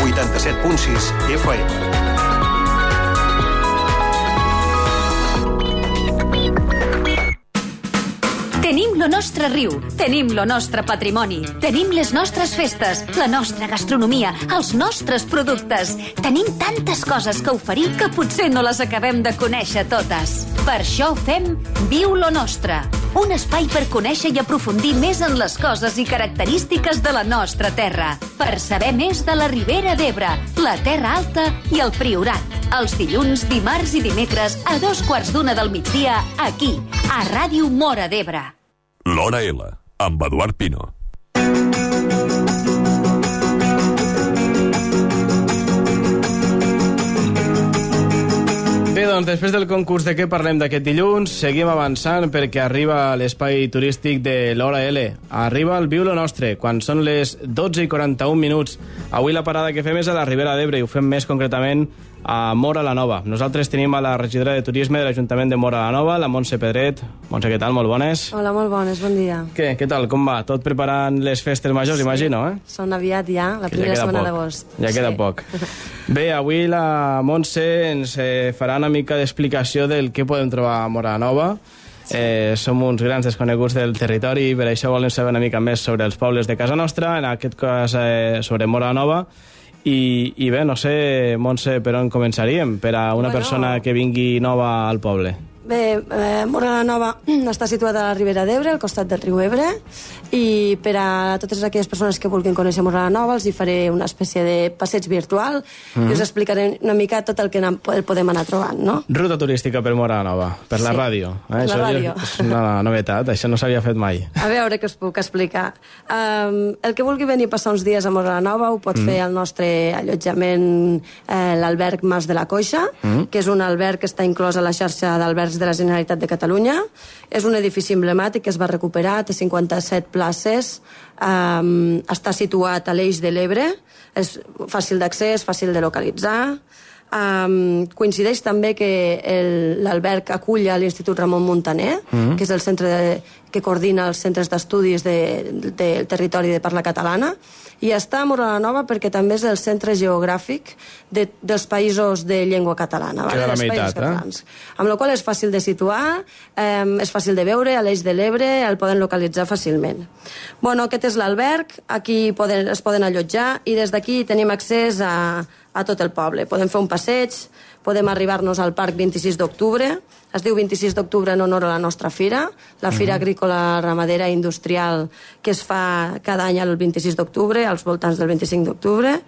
87.6 FM. Tenim lo nostre riu, tenim lo nostre patrimoni, tenim les nostres festes, la nostra gastronomia, els nostres productes. Tenim tantes coses que oferir que potser no les acabem de conèixer totes. Per això fem Viu lo Nostre, un espai per conèixer i aprofundir més en les coses i característiques de la nostra terra, per saber més de la Ribera d'Ebre, la Terra Alta i el Priorat. Els dilluns, dimarts i dimecres a 2:15 del migdia, aquí, a Ràdio Móra d'Ebre. L'Hora L, amb Eduard Pino. Bé, doncs, després del concurs de què parlem d'aquest dilluns, seguim avançant perquè arriba l'espai turístic de l'Hora L. Arriba el Viu lo Nostre, quan són les 12:41. Avui la parada que fem és a la Ribera d'Ebre i ho fem més concretament a Móra la Nova. Nosaltres tenim a la regidora de Turisme de l'Ajuntament de Móra la Nova, la Montse Pedret. Montse, què tal? Molt bones. Hola, molt bones, bon dia. Què tal? Com va? Tot preparant les festes majors, imagino, eh? Són aviat ja, la primera setmana d'agost. Ja queda poc. Bé, avui la Montse ens farà una mica d'explicació del que podem trobar a Móra la Nova. Som uns grans desconeguts del territori i per això volem saber una mica més sobre els pobles de casa nostra, en aquest cas sobre Móra la Nova. I bé, no sé, Montse, per on començaríem per a una persona que vingui nova al poble? Bé, Móra la Nova està situada a la Ribera d'Ebre, al costat del riu Ebre, i per a totes aquelles persones que vulguin conèixer Móra la Nova els hi faré una espècie de passeig virtual i us explicaré una mica tot el que podem anar trobant, no? Ruta turística per Móra la Nova, per la ràdio. Per la ràdio. És una novetat, això no s'havia fet mai. A veure què us puc explicar. El que vulgui venir a passar uns dies a Móra la Nova ho pot fer al nostre allotjament, l'alberg Mas de la Coixa, que és un alberg que està inclòs a la xarxa d'albergs de la Generalitat de Catalunya. És un edifici emblemàtic que es va recuperar, té 57 places, està situat a l'Eix de l'Ebre, és fàcil d'accés, fàcil de localitzar. Coincideix també que l'alberg acull a l'Institut Ramon Muntaner, que és el centre que coordina els centres d'estudis del territori de parla catalana, i està a Móra la Nova perquè també és el centre geogràfic dels països de llengua catalana, Queda la meitat, amb la qual és fàcil de situar, és fàcil de veure, a l'Eix de l'Ebre el poden localitzar fàcilment. Bueno, aquest és l'alberg, aquí es poden allotjar i des d'aquí tenim accés a tot el poble. Podem fer un passeig, podem arribar-nos al Parc 26 d'Octubre, es diu 26 d'Octubre en honor a la nostra fira, la Fira Agrícola, Ramadera i Industrial, que es fa cada any el 26 d'octubre, als voltants del 25 d'octubre,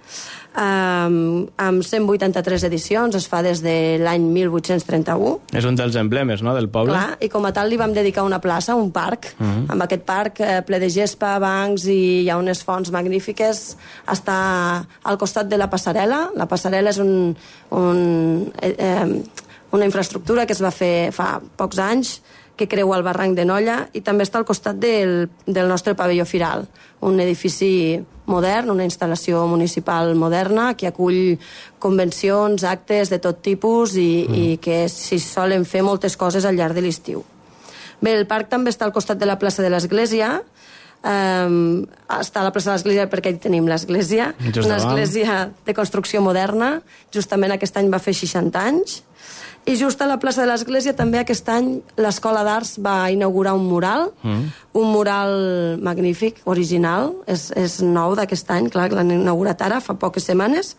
amb 183 edicions, es fa des de l'any 1831. És un dels emblemes, no?, del poble. Clar, i com a tal li vam dedicar una plaça, un parc, amb aquest parc ple de gespa, bancs i hi ha unes fonts magnífiques. Està al costat de la passarel·la. La passarel·la és una infraestructura que es va fer fa pocs anys, que creua el barranc de Nolla, i també està al costat del nostre pavelló firal, un edifici modern, una instal·lació municipal moderna que acull convencions, actes de tot tipus i que s'hi solen fer moltes coses al llarg de l'estiu. Bé, el parc també està al costat de la plaça de l'Església, està a la plaça de l'Església perquè hi tenim l'Església, una església de construcció moderna, justament aquest any va fer 60 anys, i just a la plaça de l'Església també aquest any l'Escola d'Arts va inaugurar un mural magnífic, original, és nou d'aquest any, clar, l'han inaugurat ara, fa poques setmanes,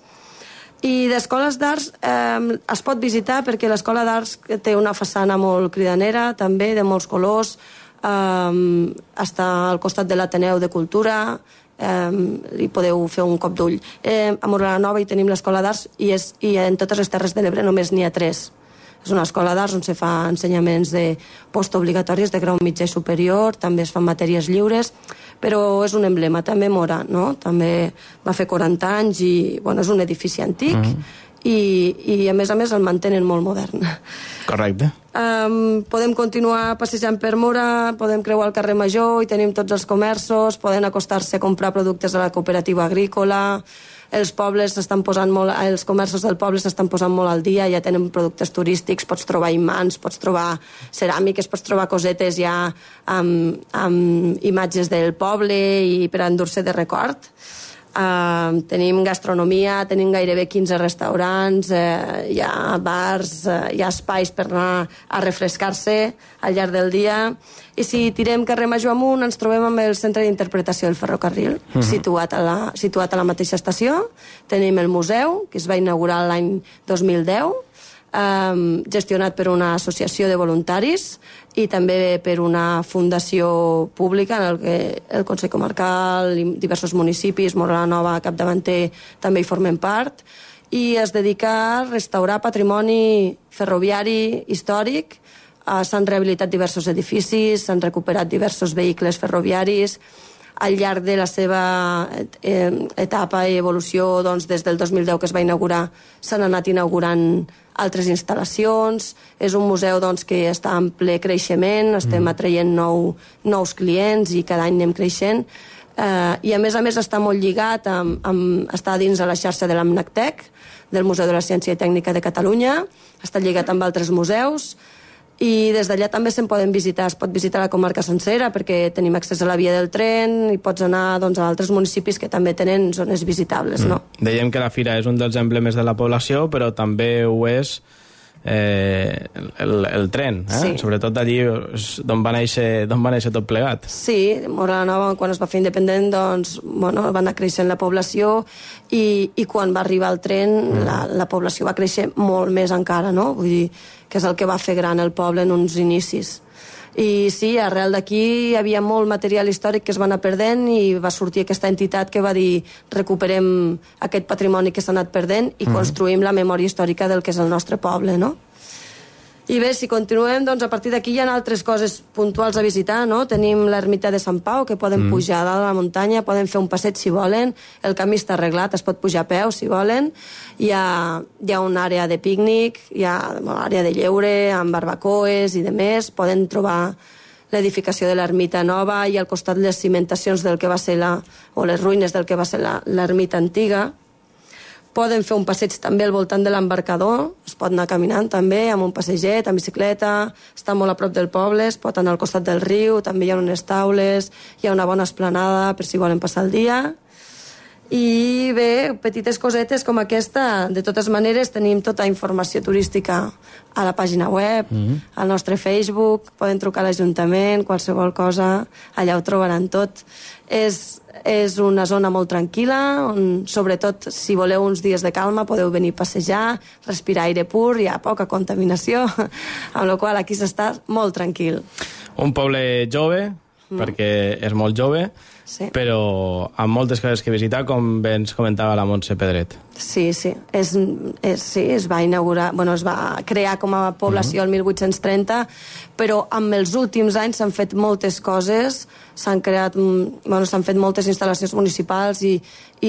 i d'escoles d'arts es pot visitar perquè l'Escola d'Arts té una façana molt cridanera, també de molts colors, està al costat de l'Ateneu de Cultura, hi podeu fer un cop d'ull. A Móra la Nova hi tenim l'Escola d'Arts i en totes les Terres de l'Ebre només n'hi ha 3. És una escola d'arts on se fa ensenyaments de postobligatoris de grau mitjà i superior, també es fan matèries lliures, però és un emblema, també Móra, no? També va fer 40 anys i, bueno, és un edifici antic i a més el mantenen molt modern. Correcte. Podem continuar passejant per Móra, podem creuar el carrer Major i tenim tots els comerços, poden acostar-se a comprar productes de la cooperativa agrícola, els comerços del poble s'estan posant molt al dia, ja tenen productes turístics, pots trobar imants, pots trobar ceràmiques, pots trobar cosetes ja amb imatges del poble i per endur-se de record. Tenim gastronomia, tenim gairebé 15 restaurants, hi ha bars, hi ha espais per anar a refrescar-se al llarg del dia. I si tirem carrer Major amunt ens trobem amb el centre d'interpretació del ferrocarril, situat a la mateixa estació. Tenim el museu, que es va inaugurar l'any 2010, gestionat per una associació de voluntaris i també per una fundació pública en què el Consell Comarcal i diversos municipis, Móra la Nova, capdavanter, també hi formen part, i es dedica a restaurar patrimoni ferroviari històric. S'han rehabilitat diversos edificis, s'han recuperat diversos vehicles ferroviaris. Al llarg de la seva etapa i evolució, doncs, des del 2010 que es va inaugurar, s'han anat inaugurant altres instal·lacions. És un museu, doncs, que està en ple creixement, estem atraient nous clients i cada any anem creixent. I a més està molt lligat, està dins de la xarxa de l'AMNACTEC, del Museu de la Ciència i Tècnica de Catalunya, està lligat amb altres museus, i des d'allà també se'n poden visitar. Es pot visitar la comarca sencera perquè tenim accés a la via del tren i pots anar, doncs, a altres municipis que també tenen zones visitables, no? Dèiem que la fira és un dels emblemes de la població, però també ho és el tren, Sí. Sobretot allí d'on va néixer tot plegat. Sí, Móra la Nova, quan es va fer independent, doncs, bueno, va anar creixent la població i quan va arribar el tren la població va créixer molt més encara, no? Vull dir, que és el que va fer gran el poble en uns inicis. I sí, arrel d'aquí hi havia molt material històric que es va anar perdent i va sortir aquesta entitat que va dir recuperem aquest patrimoni que s'ha anat perdent i construïm la memòria històrica del que és el nostre poble, no? I bé, si continuem, doncs a partir d'aquí hi ha altres coses puntuals a visitar, no? Tenim l'ermita de Sant Pau, que poden pujar a dalt a la muntanya, poden fer un passeig si volen, el camí està arreglat, es pot pujar a peu si volen, hi ha una àrea de pícnic, hi ha una àrea de lleure, amb barbacoes i demés, poden trobar l'edificació de l'ermita nova i al costat les cimentacions del que va ser o les ruïnes del que va ser l'ermita antiga. Poden fer un passeig també al voltant de l'embarcador, es pot anar caminant també, amb un passeget, amb bicicleta, està molt a prop del poble, es pot anar al costat del riu, també hi ha unes taules, hi ha una bona esplanada per si volen passar el dia. I bé, petites cosetes com aquesta, de totes maneres tenim tota informació turística a la pàgina web, al nostre Facebook, poden trucar a l'Ajuntament, qualsevol cosa, allà ho trobaran tot. És una zona molt tranquil·la, on sobretot si voleu uns dies de calma podeu venir a passejar, respirar aire pur, hi ha poca contaminació, amb la qual aquí s'està molt tranquil. Un poble jove, perquè és molt jove, Sí. però amb moltes coses que visitar, com bé ens comentava la Montse Pedret. Sí. Es va inaugurar, es va crear com a població el 1830, però amb els últims anys s'han fet moltes coses, s'han fet moltes instal·lacions municipals i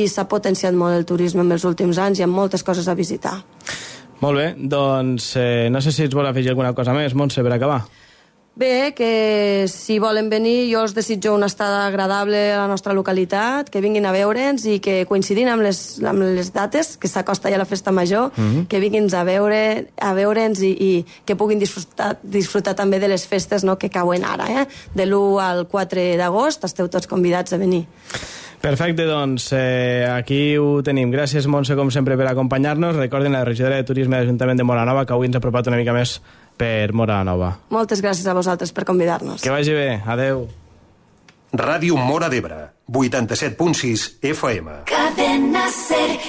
s'ha potenciat molt el turisme en els últims anys, hi ha moltes coses a visitar. Molt bé, doncs no sé si ens vol afegir alguna cosa més, Montse, per acabar. Bé, que si volen venir jo els desitjo una estada agradable a la nostra localitat, que vinguin a veure'ns i que coincidint amb les dates, que s'acosta ja la festa major, que vinguin a veure'ns i que puguin disfrutar també de les festes, no, que cauen ara, de l'1 al 4 d'agost, esteu tots convidats a venir. Perfecte, doncs aquí ho tenim. Gràcies, Montse, com sempre, per acompanyar-nos. Recordin la regidora de Turisme de l'Ajuntament de Móra la Nova, que avui ens ha apropat una mica més per Móra la Nova. Moltes gràcies a vosaltres per convidar-nos. Que vagi bé. Adeu. Ràdio Móra d'Ebre, 87.6 FM. Cadena Ser,